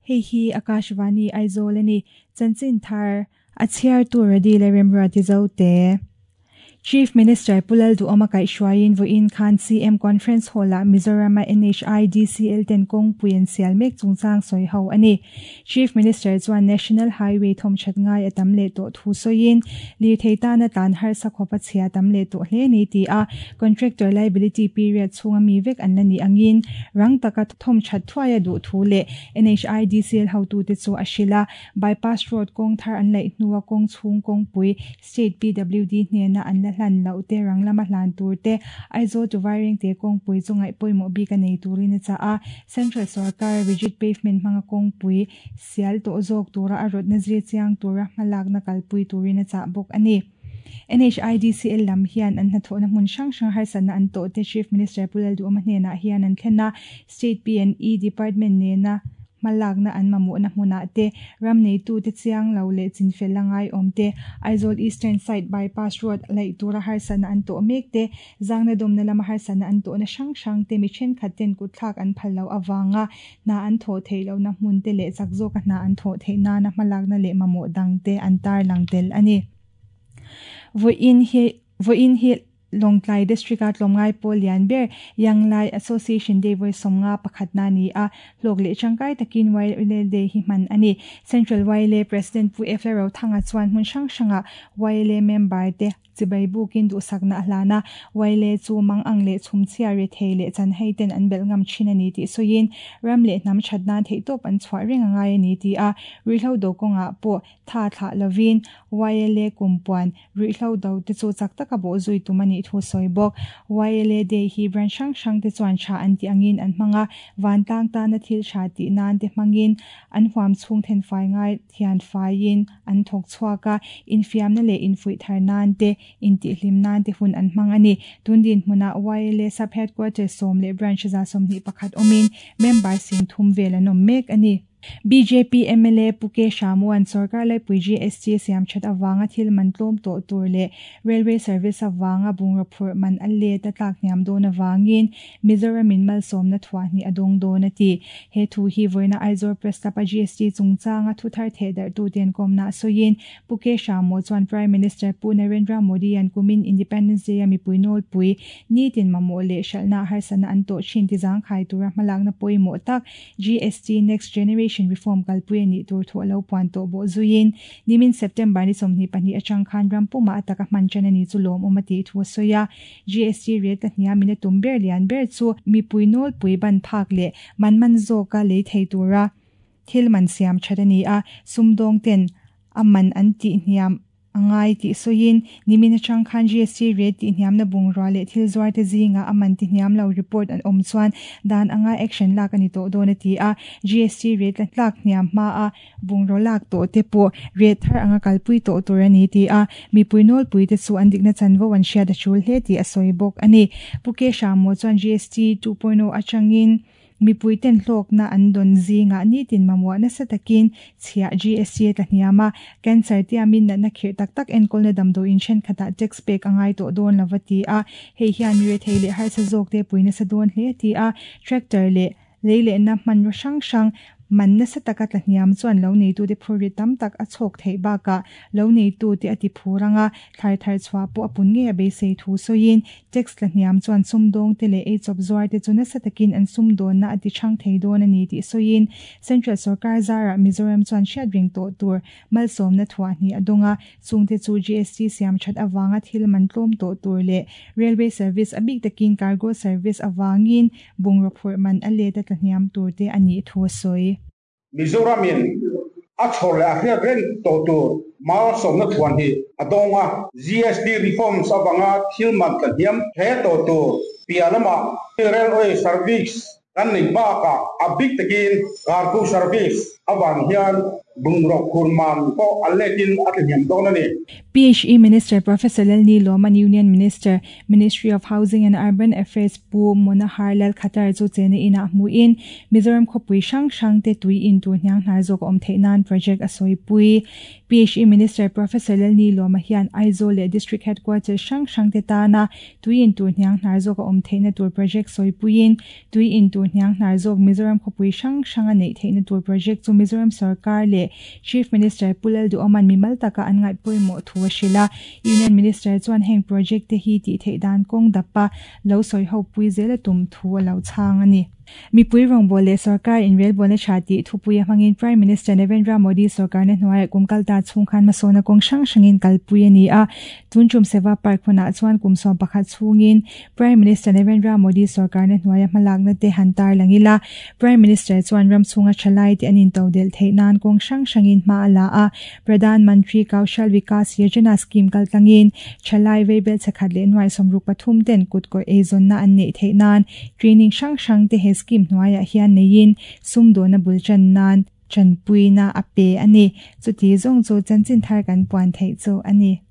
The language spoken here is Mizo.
Hei hi Akashvani Aizawl a ni. Chanchin thar a chhiartu Radi leh Remruati Zote. Chief Minister Pu Lalduhawma kaihhruaiin vawiin khan CM Conference Hall-ah Mizoram-a NHIDCL ten kawngpui an sial mek chungchang sawi ho a ni. Chief Minister chuan National Highway thawmthat ngai a tam leh tawh thu sawiin, lirthei tana tlan harsa khawpa chhia tam leh tawh hle ni ti a, Contractor liability period chhunga mi vek an la nih angin rang taka thawmthat thuai a duh thu leh NHIDCL hotute chu a hrilh a, Bypass Road kawng thar an laih hnua kawng chhung kawngpui State PWD hnena an la hlan loh te, rang lama hlan tur te, Aizawl to Vairengte kawngpui chu ngaih pawimawh bik a nei turin a chah a. Central sorkar rigid pavement hmanga kawngpui sial tawh zawk tura a rawtna zir chiang tura hmalakna kalpui turin a chah bawk a ni. NHIDCL lam hian an hnathawhna hmun hrang hrang harsatna an tawh te Chief Minister Pu Lalduhawma hnenah hian an thlen a, State P&E Department nena hmalakna an mamawhna hmunah te, ram neitute chiang lo leh chinfel la ngaiawm te, Aizawl Eastern Side Bypass Road laih tura harsatna an tawh mek te, zangna dawmna lama harsatna an tawhna hrang hrang te mi thenkhat ten kutthlak an phal loh avanga hna an thawh theih lohna hmun te leh chak zawka hna an thawh theih nana hmalakna leh mamawh dang te an tarlang tel a ni. Vawiin hi Vawiin hi Lawngtlai District-a tlawmngai pawl lian ber Yanglai Association Day vawi 51 na a ni a, hlawk leh tangkai takin YLA Day hi hman a ni. Central YLA President Pu F Lalrothanga chuan hmun hrang hrangah YLA member te chibai bukin duhsakna a hlan a, YLA chu mang ang leh chhumchhia rethei leh chanhei ten an belh ngam thin a ni tih sawiin ram leh hnam that nan theihtawp an chhuah reng a ngai a ni ti a, ruihhlo do kawngah pawh Tha thlah lovin YLA kumpuan ruihhlo do te chu chak taka bawh zui tum a nih thu sawi bawk. YLA Day hi branch hrang hrang te chuan tha an tih angin an hmang a, vantlang tana thil tha tih nan te hmangin an huam chhung then fai ngai thian faiin an thawk chhuak a, infiamna leh infuih thar nan te, intihhlim nan te hun an hmang a ni. Tun dinhmunah YLA Sub-Headquarters 10 leh Branch 121 awmin member 30,000 vel an awm mek a ni. Bjp mla Pu K Hramuan sorkar laipui GST siam that avanga thil man tlawm tawh tur leh Railway service avanga bungraw phurh man a let a tlak hniam dawn avangin Mizoramin malsawmna thuah hnih a dawng dawn a ti. He thu hi vawiina Aizawl Press Club a GST chungchanga thu thar theh darhtu ten kawmna sawiin Pu K Hramu chuan Prime Minister Pu Narendra Modi-a'n kumin Independence Day-a mipui nawlpui nitin mamawh leh hralhna harsatna an tawh thin ti zangkhai tura hmalakna pawimawh tak GST Next Generation Reform kalpui a nih tur thu a lo puan tawh bawh zuiin, nimin September ni 22 atang khan ram pumah a taka hman tan a ni chu lawmawm a tih thu a sawi a. GST rate a hniamin a tum ber lian ber chu mipui nawlpui ban phak leh man man zawka lei thei tura thil man siam that a ni a, sumdawng ten a man an tih hniam a ngai tih sawiin, nimin atang khan GST rate tihhniamna bungrua leh thil zuarte zingah a man tihhniam lo report an awm chuan dan anga action lak a ni tawh dawn a ti a. GST rate la tlak hniam hmaa bungraw lak tawh te pawh rate thar anga kalpui tawh tur a ni ti a, mipui nawlpui te chu an dikna chanvo an hriat a tul hle tih a sawi bawk a ni. Pu K Hrammaw chuan GST 2.0 atangin Mipui ten hlawkna an dawn zingah nitin mamawh nasa takin chhiah GST a tla hniam a, cancer tiamin natna khirh tak tak enkawlna damdawiin thenkhatah tax pek a ngai tawh dawn lo va ti a, hei hian mi rethei leh harsa zawkte pui nasa dawn hle a ti a, tractor leh lei lehna hmanraw hrang hrang man nasa taka tla hniam chuan lo neitute phurrit tam tak a chhawk theih bakah lo neitute a ti phur ang a, thlai thar chhuah pawh a pun ngei a beisei thu sawiin Tax tla hniam chuan sumdawngte leh eichawp zuarte chu nasa takin an sumdawnna a ti chhang thei dawn a ni tih sawiin Central sorkar zarah Mizoram chuan hriat reng tawh tur malsawmna thuah hnih a dawng a, chungte chu GST siam that avanga thil man tlawm tawh tur leh Railway service a bik takin cargo service avangin bungraw phurh man a let a tla hniam tur te a nih thu a sawi. Mizoramin a chhawr leh a hriat reng tawh tur malsawmna thuan hi a dawng a. GST reforms avanga thil man tla hniam hle tawh tur piah lamah railway service kan neih bakah a bik takin cargo service avang hian Bungraw phur man pawh a letin a tlahniam dawn a ni. PHE Minister Professor Lalnilawman Union Minister, Ministry of Housing and Urban Affairs Pu Manohar Lal Khattar chu chena inah hmuhin Mizoram khawpui hrang hrang te tui in tur hniang hnar zawk a awm theih nan project a sawipui. PHE Minister Professor Lalnilawma hian Aizawl leh District Headquarters hrang hrang te tana tui in tur hniang hnar zawk a awm theihna tur project sawipuiin Tui in tur hniang hnar zawk Mizoram khawpui hrang hranga neih theihna tur project chu Mizoram sorkar leh Chief Minister Pu Lalduhawma'n mimal taka an ngaih pawimawh thu a hrilh a. Union Minister chuan heng project te hi tih theih dan kawng dapa lo sawi ho pui zel a tum thu a lo chhang a ni. Mipui rawngbâwl leh sorkar inrelbawlna tha tih thupuia hmangin Prime Minister Narendra Modi sorkarna hnuaiah kum kalta chhung khan hmasawnna kawng hrang hrangin kalpui a ni a. Tun tum Seva Park hmunah chuan kum 11 chhungin Prime Minister Narendra Modi sorkarna hnuaia hmalakna te han tarlang ila, Prime Minister chuan ram chhunga thalai te an intodelh theih nan kawng hrang hrangin hma a la a, Pradhan Mantri Kaushal Vikas Yojana scheme kaltlangin thalai veibel chhakhat leh nuai 63 ten kutkawr eizawnna an neih theih nan training hrang hrang te he scheme hnuaiah hian neiin sumdawna bul tan nan tanpuina a pe a ni. Chuti zawng chu chanchin thar kan puan theih chu a ni.